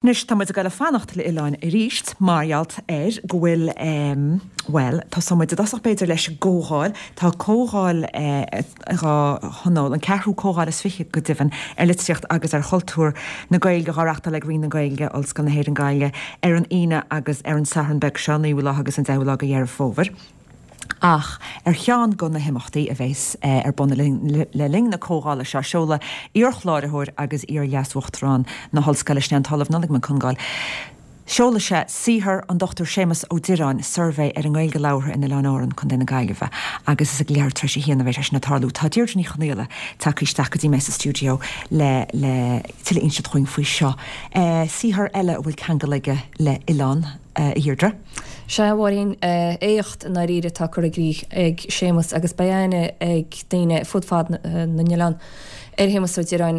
Anois tá muid ag goil a fanacht le oileáin arís mar gheall ar go bhfuil bhuel, tosóidh muid i dtosach b'fhéidir leis an gcomhdháil. Tá comhdháil dhá thionól, an ceathrú comhdháil is 20 go deimhin, ar litríocht agus ar chultúr na Gaeilge dhá reachtáil ag Roinn na Gaeilge, Ollscoil na hÉireann Gaillimh ar an Aoine agus ar an Satharn beag seo, 9ú lá agus an 10ú lá de Dheireadh Fómhair. Ach ar cheann de na himeachtaí a bheas ar bun le linn na comhdhála seo, seolfaidh iar-chláraitheoir agus iar-Leas-Uachtarán na hOllscoile, sin é an tOllamh Nollaig Mac Congáil, seolfaidh sé saothar an Dr Séamus Ó Direáin, Suirbhé ar an nGaeilge Labhartha in Oileáin Árann, Co. na Gaillimhe, agus is ag leathuair tar éis a haon a bheidh sé sin ag tarlú. Tá Deirdre Ní Chonaola tagtha isteach go dtí mé sa stiúideo le le tuilleadh a inseacht dhúinn faoi seo. Saothar eile a bhfuil ceangal aige le hoileán, a Dheirdre. Sea, a Mháirín, éacht i ndáiríre atá curtha i gcrích ag Séamus agus beidh aithne ag daoine fud fad na n-oileán ar Shéamus Ó Direáin.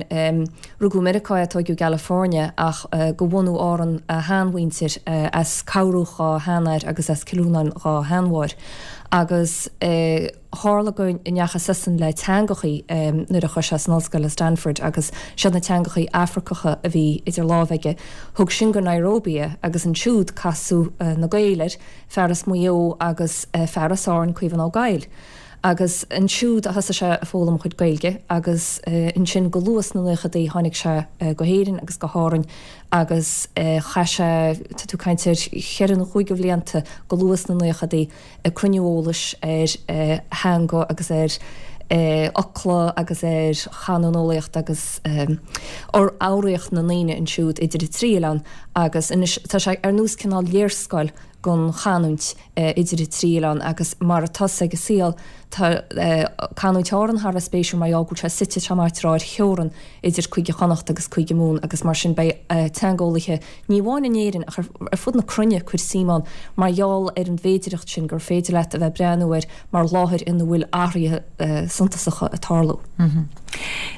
Rugadh i Meiriceá é, tóigeadh i gCalifornia ach de bhunú Árann a sheanmhuintir, as Cobhruach dhá sheanathair agus as Cill Rónáin dhá sheanmháthair. Agus. Tharla go ndeachaigh seisean le teangachaí nuair a chuaigh sé san ollscoil i Stanford agus siad na teangachaí Afracacha a bhí idir lámha aige. Thug sin go Nairobi é agus ansiúd casadh na Gaeil air, fear as Maigh Eo agus fear as Árainn, Caomhán Ó Gabhaill. Agus ansiúd a thosaigh sé ag foghlaim a chuid Gaeilge agus ansin go luath sna naochadaí tháinig sé go hÉirinn agus go hÁrainn agus chaith sé, tá tú ag caint ar cheithre nó chúig de bhlianta go luath sna naochadaí, ag cruinniú eolais ar theanga agus ar fhocla agus ar chanúineolaíocht agus foghraíocht na ndaoine ansiúd idir an trí oileán agus anois tá sé ar nós cineál léarscáil den chanúint idir an trí oileán agus mar atá ag an saol tá canúint Árann thar a bheith spéisiúil mar gheall go bhfuil sé suite tá maith ar theorann idir Cúige Chonnacht agus Cúige Mumhan agus mar sin beidh teangeolaithe ní amháin in Éirinn ach ar fud na cruinne ag cur suim ann mar gheall ar an bhféidireacht sin gur féidir leat a bheith ag breathnú air mar láthair ina bhfuil athruithe suntasacha ag tarlú.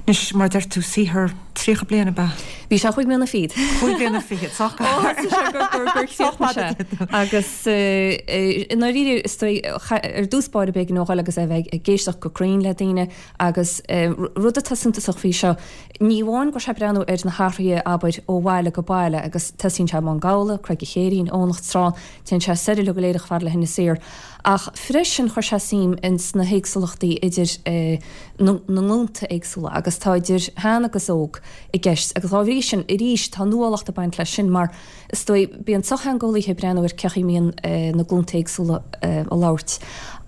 Anois, mar a deir tú, saothar 30 bliain ab ea? Bhí sé chúig mbliana fichead. Chúig bliana fichead, sách Ó thosaigh sé gur gur gur chríochnaigh sé. Agus i ndáiríre, is dóigh, ar dtús báire b'éigean dó a dhul agus é a bheith ag éisteacht go cruinn le daoine agus rud atá suntasach faoi seo, Ní amháin go raibh sé ag breathnú ar na hathruithe, abair, ó bhaile go baile agus tosaíonn sé i mBun Gabhla, Creag an Chéirín, Eoghanacht Srán, téann sé soir uilig go léir chomh fada le hInis Oírr. Ach freisin chuir sé suim ins na héagsúlachtaí idir na nglúnta éagsúla agus tá idir shean agus óg i gceist agus dá bhrí sin arís tá nuálacht ag baint leis sin mar is dóigh bíonn sochtheangeolaithe ag breathnú ar cén chaoi a mbíonn na glúnta éagsúla ag labhairt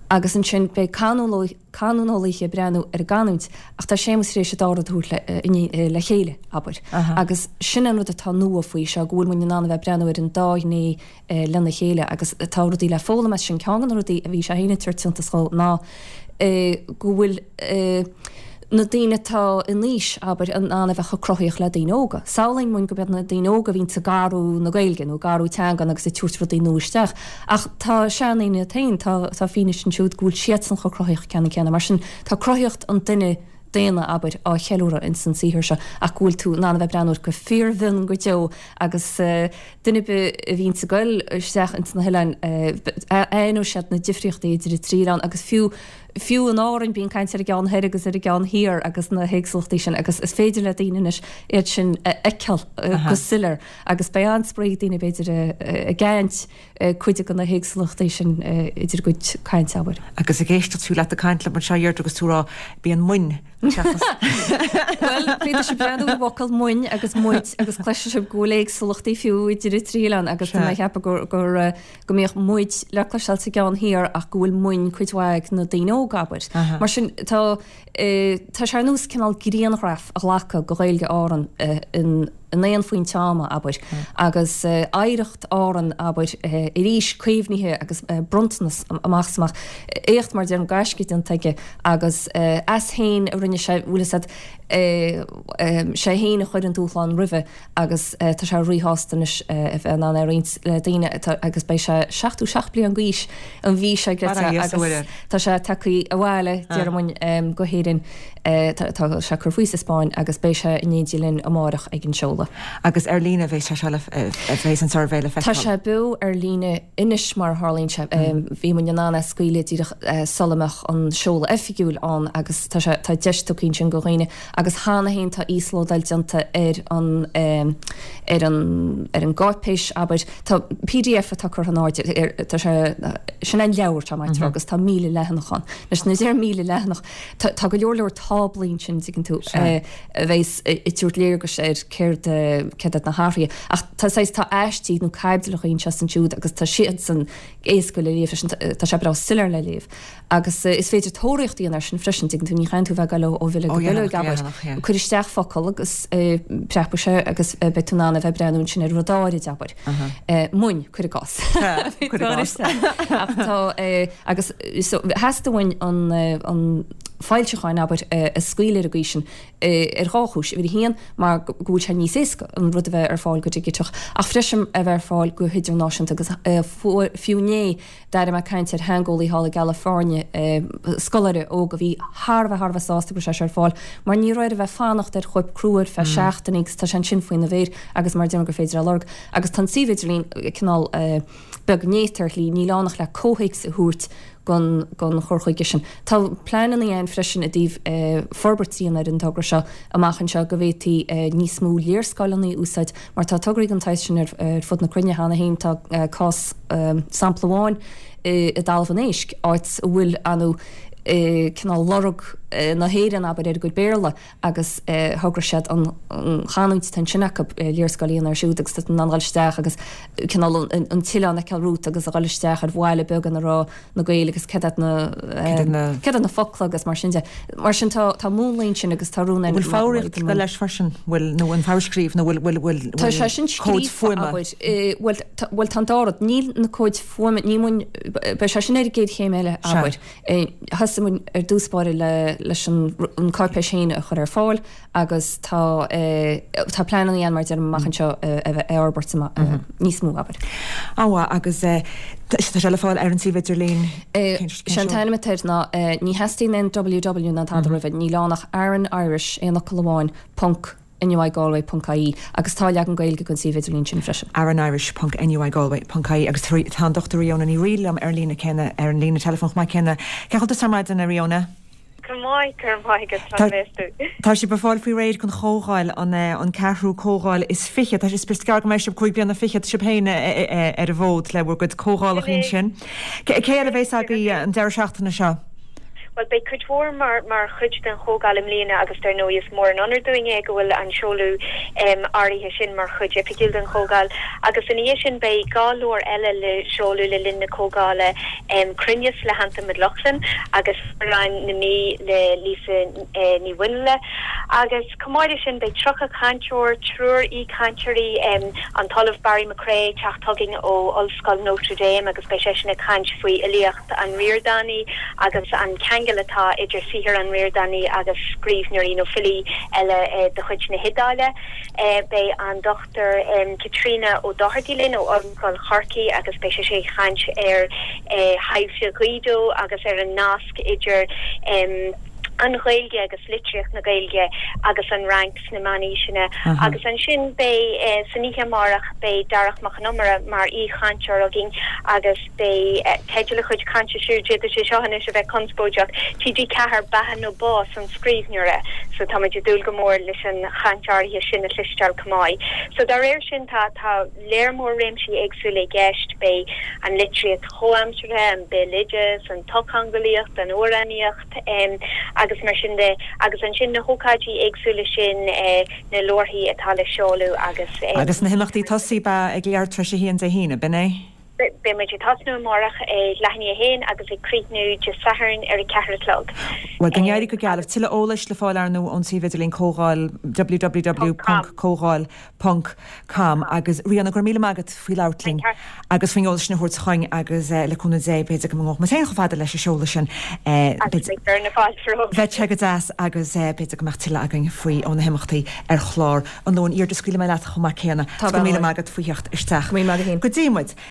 agus ansin beidh canúineolaithe canúineolaithe ag breathnú ar an gcanúint ach tá Séamus tar éis an dá rud a thabhairt le chéile, abair. Agus sin an rud atá nua faoi seo, go bhfuil muid in ann a bheith ag breathnú ar an dá ghné lena chéile agus tá rudaí le foghlaim as sin. Ceann de na rudaí a bhí sé féin ag tabhairt suntas dhó ná go bhfuil na daoine atá in aois, abair, in ann a bheith chomh cruthaíoch le daoine óga. Samhlaíonn muid gurb iad na daoine óga a bhíonns ag athrú na Gaeilge nó ag athrú teangan agus ag tabhairt rudaí nua isteach. Ach tá seandaoine iad féin, tá, tá fianaise ansiúd go bhfuil siadsan chomh cruthaíoch ceannann céanna. Mar sin, tá cruthaíocht an duine daonna, abair, á cheiliúradh ins an saothar seo ach go bhfuil tú in ann a bheith ag breathnú air go fíormhion go deo agus duine ar bith a bhíonns ag goil isteach ins na hoileáin, aithneoidh siad na difríochtaí idir an trí oileán agus fiú, fiú in Árainn bíonn caint ar an gceann thoir agus ar an gceann thiar agus na héagsúlachtaí sin agus is féidir le daoine anois iad sin a fheiceáil go soiléir. Agus beidh an-spraoi ag daoine, b'fhéidir, ag aithint cuid de na héagsúlachtaí sin idir a gcuid cainte, abair. Agus ag éisteacht fiú leat ag caint liom anseo, a Dheirdre, agus tú ag rá, bíonn muinn seachas. Bhuel, féadfaidh sibh breathnú ar an bhfocal muinn agus muid agus cloisfidh sibh go bhfuil éagsúlachtaí fiú idir an trí oileán agus tá mé ag ceapadh gur, gur, go mbíodh muid le cloisteáil sa gceann thiar ach go bhfuil muinn cuid mhaith ag na daoine óga, abair. Mar sin, tá, tá sé ar nós cineál grianghraf a ghlacadh de Ghaeilge Árann in, in aon phointe ama, abair, agus oidhreacht Árann, abair, arís caomhnaithe agus bronntanas amach is amach, éacht mar deirim, gaisce déanta aige agus as féin a rinne sé, bhfuil fhios a'd, sé féin a chuir an dúshlán roimhe agus tá sé ríshásta anois a bheith in ann é a roinnt le daoine agus beidh sé 77 bliain d'aois an mhí seo agus tá sé tagtha abhaile, déarfainn, go hÉirinn. Tá sé ag cur faoi sa Spáinn agus beidh sé in éindí linn amárach ag an seoladh. sheoladh. Agus ar líne a bheas sé seo le, a bheas an suirbhé le Tá feiceáil? sé beo ar líne anois mar a tharlaíonn sé. Bhí muid in ann é a scaoileadh díreach sula mbeadh an seoladh oifigiúil ann agus tá sé, tá deis tugtha ansin do dhaoine agus cheana féin tá íoslódáil déanta ar an, ar an, ar an gcáipéis, abair. Tá pdf atá curtha in airde ar, tá sé, sin é an leabhar tá mé ag rá agus tá 1,000 leathanach ann. Anois nuair a deirim 1,000 leathanach, tá, tá go leor leor táblaí ansin, dtuigeann tú, a bheas ag tabhairt léargais ar céard, céard iad na hathruithe. Ach tá saghas, tá aistí nó caibidleacha anseo is ansiúd agus tá siadsan éasca le léamh freisin, tá sé breá soiléir le léamh. Agus is féidir tóraíocht a dhéanamh air sin freisin, dtuigeann tú, ní chaitheann tú a bheith ag dul ó bhileog go bileog, abair. Cuir isteach focal agus preabfaidh sé agus beidh tú in ann a bheith ag breathnú ansin ar rud áirid, abair. Muin, cuir i gcás. Cuir i gcás. Ach tá, agus so theastaigh uainn an, an foilseachán, abair, a scaoileadh ar an gcaoi sin ar dhá chúis. Uimhir a haon, mar go bhfuil sé níos éasca an rud a bheith ar fáil go digiteach, ach freisin a bheith ar fáil go hidirnáisiúnta agus fiú inné, D'airigh mé caint ar theangeolaí thall i gCalifornia, scoláire óg a bhí thar a bheith thar a bheith sásta go raibh sé seo ar fáil, mar ní raibh air a bheith fanacht ar chóip crua ar feadh seachtainí agus tá sé ansin faoina mhéir agus mar a deirim gur féidir é a lorg. Agus tá an suíomh idirlín cineál beag néata ar shlí, níl ann ach le comhthéacs a thabhairt don don chur chuige sin. Tá pleananna ann freisin i dtaobh forbairt a dhéanamh ar an togra seo amach anseo go bhféadfaí níos mó léarscáileanna a úsáid mar tá tograí den tsaghas sin ar fud na cruinne cheana féin. Tá cás, sampla amháin i dTalamh an Éisc, áit a bhfuil anú cineál lorg na hÉireann, abair, ar a gcuid Béarla agus thograigh siad an chanúint atá ansin acu, léarscáil a dhéanamh air siúd agus tá tú in ann dul isteach agus cineál an t-oileán a fheiceáil romhat agus a dhul isteach ar bhaile beag ina raibh na Gaeil agus céard iad na céard iad na focla agus mar sin de. Mar sin tá tá múnlaí ansin agus tá rún Bhfuil foghraíocht ag dul leis freisin? Bhfuil nó an fhoghscríobh nó bhfuil bhfuil bhfuil Tá sé sin comhaid scríofa fuaime? abair. Bhuel tá bhuel tá an dá rud. Níl na comhaid fuaime níl muid beidh sé sin ar an gcéad chéim eile Sea. abair. Thosaigh muid ar dtús báire le leis an an cáipéis féin a chur ar fáil agus tá tá pleananna ann mar a deirim amach anseo a bheith á fhorbairt níos mó, abair. An-mhaith agus tá sé le fáil ar an suíomh idirlín? Sé an t-ainm atá air ná, ní theastaíonn aon ww ná tada roimhe, níl ann ach Aran Irish, aon fhocal amháin, ponc NUIGalway ponc ie agus tá leagan Gaeilge den suíomh idirlín sin freisin. aranirish ponc NUIGalway ponc ie agus tá an Dr Ríona Ní Fhrighil liom ar an líne céanna, ar an líne teileafóin chomh maith céanna. Cén chaoi a bhfuil tusa ar maidin, a Ríona? Go maith, go raibh maith agat, conas tá tú? Tá sibh ag fáil faoi réir don chomhdháil, an ceathrú comhdháil is fiche. Tá sé, is gearr go mbeidh sibh 25 bliana sibh féin ar an bhfód le bhur gcuid comhdhálacha ansin. Cé eile a bheas agaibh an deireadh seachtaine seo? Bhuel, beidh cuid mhór mar mar chuid den chomhdháil i mbliana agus dar ndóigh is mór an onóir dúinn é go bhfuil an seoladh áirithe sin mar chuid oifigiúil den chomhdháil. Agus ina dhiaidh sin beidh 2 leabhar eile le seoladh le linn na comhdhála, Cruinneas le hAntain Mac Lochlainn agus Amhráin na Mí le Lisa Ní Mhuinle. Agus chomh maith leis sin beidh 30 cainteoir, triúr aoichainteoirí, an tOllamh Barry McCrea ag teacht chugainn ó Ollscoil Notre Dame agus beidh seisean ag caint faoi fhilíocht an Ríordánaigh agus an ceangal atá idir saothar an Ríordánaigh agus scríbhneoirí nó filí eile de chuid na hIodáile. Beidh an Dr Caitríona Ó Dochartaigh linn ó Ollscoil Chorcaí agus beidh sise ag caint ar thaibhse Ghuido agus ar an nasc idir an Ghaeilge agus litríocht na Gaeilge agus an Fhrainc sna Meánaoiseanna. Agus ansin beidh, san oíche amárach, beidh Darach Mac Con Iomaire mar aoichainteoir againn agus beidh teideal a chuid cainte siúd, d'fhéadfadh sé seo anois a bheith conspóideach, TG4, Beatha nó Bás an Scríbhneora. So táimid ag dúil go mór leis an chaint áirithe sin a chloisteáil chomh maith. So dá réir sin tá tá léar mór réimsí éagsúla i gceist, beidh an litríocht chomhaimseartha, an béaloideas, an tsochtheangeolaíocht, an amhránaíocht agus mar sin de agus ansin na hócáidí éagsúla sin, na leabharthaí atá le seoladh agus. Agus na himeachtaí tosaigh ba ag leathuair tar éis a haon Dé hAoine, b'in é? Beidh muid ag tosnú amárach ag leath i ndiaidh a haon agus ag críochnú Dé Sathairn ar a ceathair a chlog. Bhuel, go n-éirí go geal libh. Tuilleadh eolais le fáil ar ndóigh ón suíomh idirlín comhdháil www ponc comhdháil ponc com agus Ríona, go raibh míle maith agat faoi labhairt linn agus faoin eolas sin a thabhairt chugainn agus le cúnamh Dé b'fhéidir go ngabhfaidh muid féin chomh fada leis an seoladh sin. Agus beidh fear na fáilte romhat. Bheadh sé go deas agus b'fhéidir go mbeadh tuilleadh againn faoi ó na himeachtaí ar chlár an Luain. Deirdre, scaoilfidh mé leat chomh maith céanna. Go raibh míle maith agat faoi theacht isteach. Go raibh míle maith agat féin. Go dtí muid.